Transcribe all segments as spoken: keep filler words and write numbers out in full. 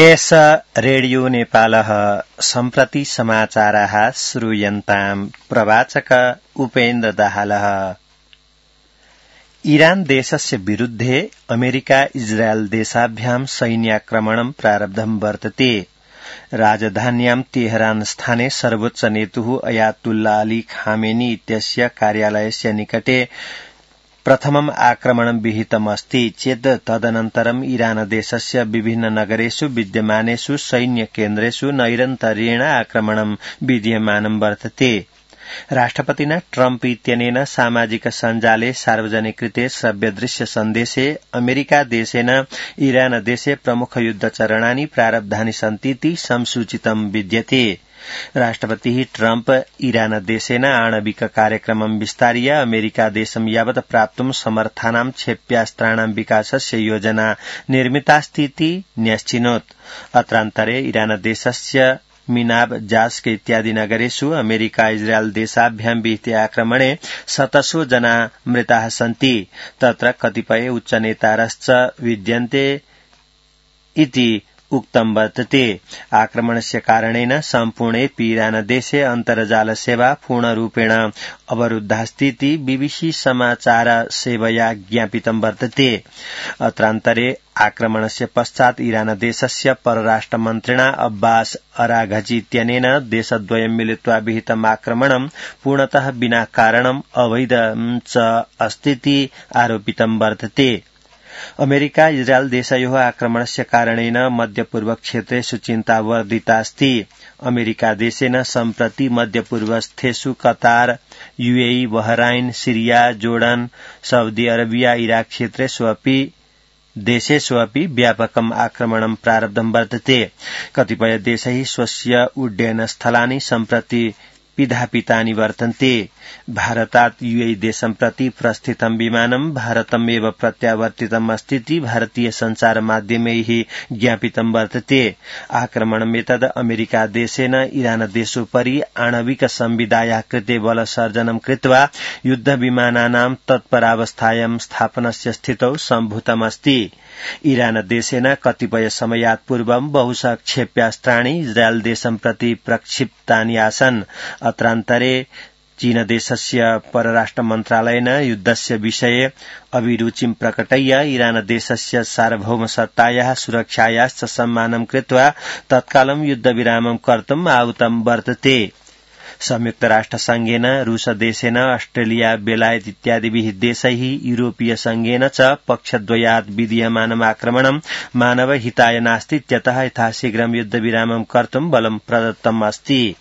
एष रेडियो नेपालः सम्प्रति समाचाराः श्रूयन्ताम् प्रवाचक उपेन्द्र दाहालः। ईरान देशस्य विरुद्धे अमेरिका इजरायल देशाभ्यां सैन्याक्रमणं प्रारब्धं वर्तते। राजधान्यां तेहरान स्थाने सर्वोच्च नेतुः अयातुल्ला अली खामेनी इत्यस्य कार्यालयस्य निकटे प्रथमम् आक्रमणं विहितमस्ति चेत् तदनन्तरम् ईरान देशस्य विभिन्न नगरेषु विद्यमानेषु सैन्यकेन्द्रेषु नैरन्तर्येण आक्रमणं विद्यमानं वर्तते। राष्ट्रपतिना ट्रम्प इत्यनेन सामाजिक सञ्जाले सार्वजनिकृते श्रव्यदृश्य सन्देशे अमेरिका देशेन ईरान देशे प्रमुख युद्धचरणानि प्रारब्धानि सन्तीति संसूचितं विद्यते। राष्ट्रपतिः ट्रम्प ईरान देशेन आणविक कार्यक्रमं विस्तार्य अमेरिका देशं यावत् प्राप्तुं समर्थानां क्षेप्यास्त्राणां विकासस्य योजना निर्मितास्तीति न्यश्चिनोत्। अत्रान्तरे ईरान देशस्य मिनाब जास्क इत्यादि नगरेषु अमेरिका इजरायल देशाभ्यां विहिते आक्रमणे शतशो जना मृताः सन्ति। तत्र कतिपय उच्चनेतारश्च विद्यन्ते इति उक्तं वर्तते। आक्रमणस्य कारणेन सम्पूर्णेऽपि ईरान देशे अन्तर्जाल सेवा पूर्णरूपेण अवरुद्धास्तीति बीबीसी समाचार सेवया ज्ञापितं वर्तते। अत्रान्तरे आक्रमणस्य पश्चात् ईरान देशस्य परराष्ट्रमन्त्रिणा अब्बास अराघची इत्यनेन देशद्वयं मिलित्वा विहितम् आक्रमणं पूर्णतः विना कारणम् अवैधं च अस्तीति आरोपितं वर्तते। अमेरिका इजरायल देशयोः आक्रमणस्य कारणेन मध्यपूर्व क्षेत्रेषु चिन्ता वर्धितास्ति। अमेरिका देशेन सम्प्रति मध्यपूर्वस्थेषु कतार, UAE, Bahrain, Syria, Jordan, Saudi Arabia, Iraq क्षेत्रेषु अपि देशेषु अपि व्यापकम् आक्रमणं प्रारब्धं वर्तते। कतिपय देशैः स्वस्य उड्डयनस्थलानि सम्प्रति पिधापितानि वर्तन्ते। भारतात् यूएई देशं प्रति प्रस्थितं विमानं भारतमेव प्रत्यावर्तितम् अस्तीति भारतीय सञ्चार माध्यमैः ज्ञापितं वर्तते। आक्रमणमेतद् अमेरिका देशेन ईरान देशोपरि आणविक संविधायाः कृते बलसर्जनं कृत्वा युद्धविमानानां तत्परावस्थायां स्थापनस्य स्थितौ सम्भूतमस्ति। ईरान देशेन कतिपय समयात् पूर्वं बहुशः क्षेप्यास्त्राणि इजरायल देशं प्रति प्रक्षिप्तानि आसन्। अत्रान्तरे चीन देशस्य परराष्ट्र मन्त्रालयेन युद्धस्य विषये अभिरुचिं प्रकटय्य ईरान देशस्य सार्वभौमसत्तायाः सुरक्षायाश्च सम्मानं कृत्वा तत्कालं युद्धविरामं कर्तुम् आहुतं वर्तते। संयुक्त राष्ट्र संघेन, रूस देशेन, ऑस्ट्रेलिया, बेलायत इत्यादिभिः देशैः यूरोपीय संघेन च पक्षद्वयात् विधीयमानम् आक्रमणं मानव हिताय नास्ति इत्यतः यथाशीघ्रं युद्धविरामं कर्तुं बलं प्रदत्तम् अस्ति।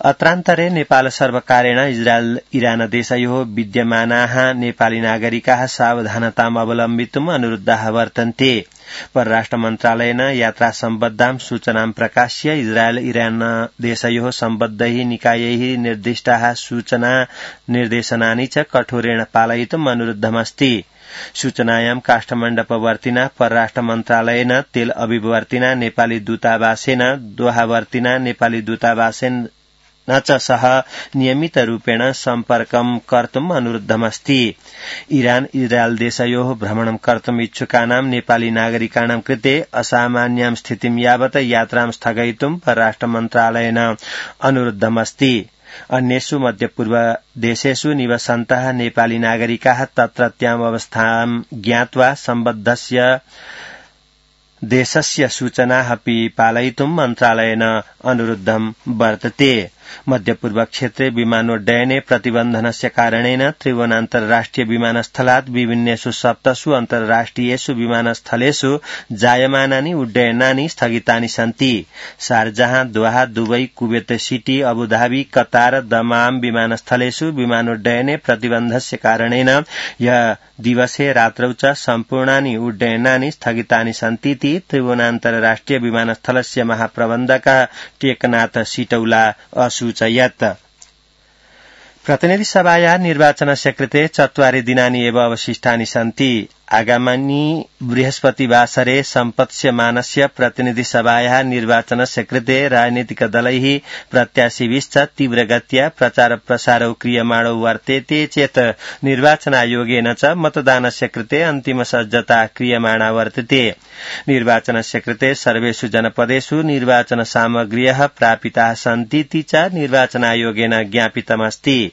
अत्रान्तरे नेपाल सर्वकारेण इजरायल ईरान देशयोः विद्यमानाः नेपाली नागरिकाः सावधानताम् अवलम्बितुम् अनुरुद्धाः वर्तन्ते। परराष्ट्र मन्त्रालयेन यात्रा सम्बद्धां सूचनां प्रकाश्य इजरायल ईरान देशयोः सम्बद्धैः निकायैः निर्दिष्टाः सूचना निर्देशनानि च कठोरेण पालयितुम् अनुरुद्धमस्ति। सूचनायां काष्ठमण्डपवर्तिना परराष्ट्र मन्त्रालयेन, तेल अविवर्तिना नेपाली दूतावासेन, दोहावर्तिना नेपाली दूतावासेन न च सह नियमितरूपेण सम्पर्कं कर्तुम् अनुरुद्धमस्ति। ईरान इजरायल देशयोः भ्रमणं कर्तुम् इच्छुकानां नेपाली नागरिकाणां कृते असामान्यां स्थितिं यावत् यात्रां स्थगयितुं परराष्ट्र मन्त्रालयेन अनुरुद्धमस्ति। अन्येषु मध्यपूर्व देशेषु निवसन्तः नेपाली नागरिकाः तत्रत्याम् अवस्थां ज्ञात्वा सम्बद्धस्य देशस्य सूचनाः अपि पालयितुं मन्त्रालयेन अनुरुद्धं वर्तते। मध्यपूर्व क्षेत्रे विमानोड्डयने प्रतिबन्धनस्य कारणेन त्रिभुवनान्तर्राष्ट्रिय विमानस्थलात् विभिन्नेषु सप्तसु अन्तर्राष्ट्रियेषु विमानस्थलेषु जायमानानि उड्डयनानि स्थगितानि सन्ति। शारजाह, दोहा, दुबई, कुवेत सिटी, अबुधाबी, कतार, दमाम विमानस्थलेषु विमानोड्डयने प्रतिबन्धस्य कारणेन ह्यः दिवसे रात्रौ च सम्पूर्णानि उड्डयनानि स्थगितानि सन्तीति त्रिभुवनान्तर्राष्ट्रिय विमानस्थलस्य महाप्रबन्धकः टेकनाथ सिटौला असूचयत्। प्रतिनिधि सभायाः निर्वाचनस्य कृते चत्वारि दिनानि एव अवशिष्टानि सन्ति। आगामिनी बृहस्पतिवासरे सम्पत्स्यमानस्य प्रतिनिधिसभायाः निर्वाचनस्य कृते राजनीतिकदलैः प्रत्याशिभिश्च तीव्रगत्या प्रचारप्रसारौ क्रियमाणौ वर्तेते चेत् निर्वाचनायोगेन च मतदानस्य कृते अन्तिमसज्जता क्रियमाणा वर्तते। निर्वाचनस्य कृते सर्वेषु जनपदेषु निर्वाचनसामग्र्यः प्रापिताः सन्तीति च निर्वाचनायोगेन ज्ञापितमस्ति।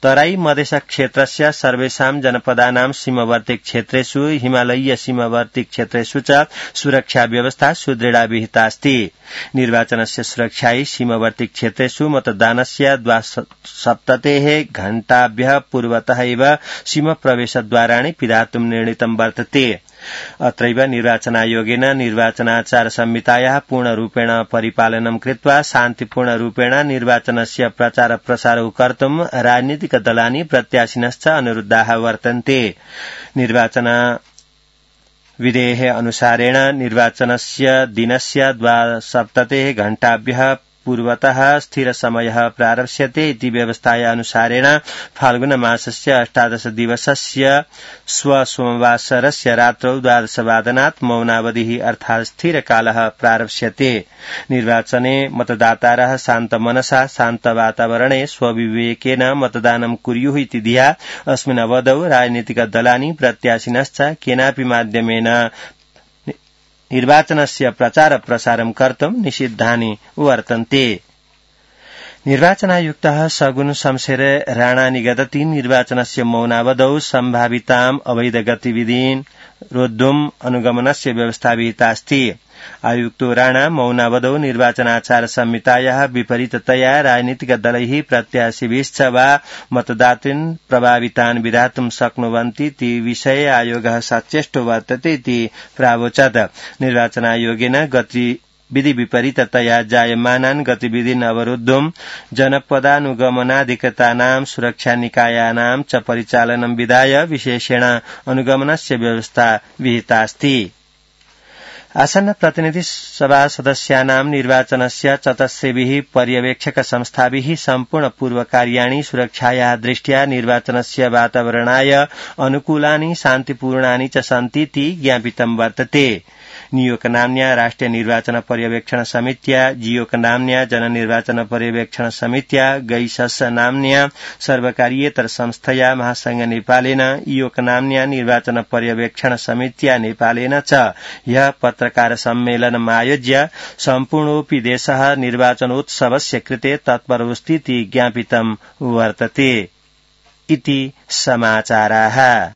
तराई मधेश क्षेत्रस्य सर्वेषां जनपदानां सीमावर्ती क्षेत्रेषु हिमालयीय सीमावर्ती क्षेत्रेषु च सुरक्षा व्यवस्था सुदृढा विहितास्ति। निर्वाचनस्य सुरक्षायै सीमावर्ती क्षेत्रेषु मतदानस्य द्वासप्ततेः घण्टाभ्यः पूर्वतः एव सीमाप्रवेशद्वाराणि पिधातुं निर्णीतं वर्तते। अत्रैव निर्वाचनायोगेन निर्वाचनाचार संहितायाः पूर्णरूपेण परिपालनं कृत्वा शान्तिपूर्णरूपेण निर्वाचनस्य प्रचार प्रसारौ कर्तुं राजनीतिकदलानि प्रत्याशिनश्च अनुरुद्धाः वर्तन्ते। निर्वाचन विधेः अनुसारेण निर्वाचनस्य दिनस्य द्वासप्ततेः घण्टाभ्यः पूर्वतः स्थिर समयः प्रारप्स्यते इति व्यवस्थाया अनुसारेण फाल्गुन मासस्य अष्टादश दिवसस्य स्वसोमवासरस्य रात्रौ द्वादशवादनात् मौनावधिः अर्थात् स्थिरकालः प्रारप्स्यते। निर्वाचने मतदातारः शान्तमनसा शान्तवातावरणे स्वविवेकेन मतदानं कुर्युः इति धिया अस्मिन् अवधौ राजनीतिकदलानि प्रत्याशिनश्च केनापि माध्यमेन निर्वाचनस्य प्रचार प्रसारं कर्तुं निषिद्धानि वर्तन्ते। निर्वाचनायुक्तः सगुन शमशेर राणा निगदति निर्वाचनस्य मौनावधौ सम्भाविताम् अवैध गतिविधीन् रोद्धुम् अनुगमनस्य व्यवस्था विहितास्ति। आयुक्तो राणा मौनावधौ निर्वाचनाचार संहितायाः विपरीततया राजनीतिकदलैः प्रत्याशिभिश्च वा मतदातॄन् प्रभावितान् विधातुं शक्नुवन्ति इति विषये आयोगः सचेष्टो वर्तते इति प्रावोचत्। निर्वाचनायोगेन गतिविधि विपरीततया जायमानान् गतिविधीन् अवरोद्धुं जनपदानुगमनाधिकृतानां सुरक्षानिकायानां च परिचालनं विधाय विशेषेण अनुगमनस्य व्यवस्था विहितास्ति। आसन्न प्रतिनिधि सभा सदस्यानां निर्वाचनस्य चतस्रेभिः पर्यवेक्षक संस्थाभिः सम्पूर्ण पूर्वकार्याणि सुरक्षायाः दृष्ट्या निर्वाचनस्य वातावरणाय अनुकूलानि शान्तिपूर्णानि च सन्तीति ज्ञापितं वर्तते। नियोक नाम्न्या राष्ट्रिय निर्वाचन पर्यवेक्षण समित्या, जियोक नाम्न्या जननिर्वाचन पर्यवेक्षण समित्या, गैसस नाम्न्या सर्वकारीयेतर संस्थया महासंघ नेपालेन, इयोक नाम्न्या निर्वाचन पर्यवेक्षण समित्या नेपालेन च ह्यः पत्रकार सम्मेलनम् आयोज्य सम्पूर्णोऽपि देशः निर्वाचनोत्सवस्य कृते तत्परोऽस्तीति ज्ञापितं वर्तते इति समाचाराः।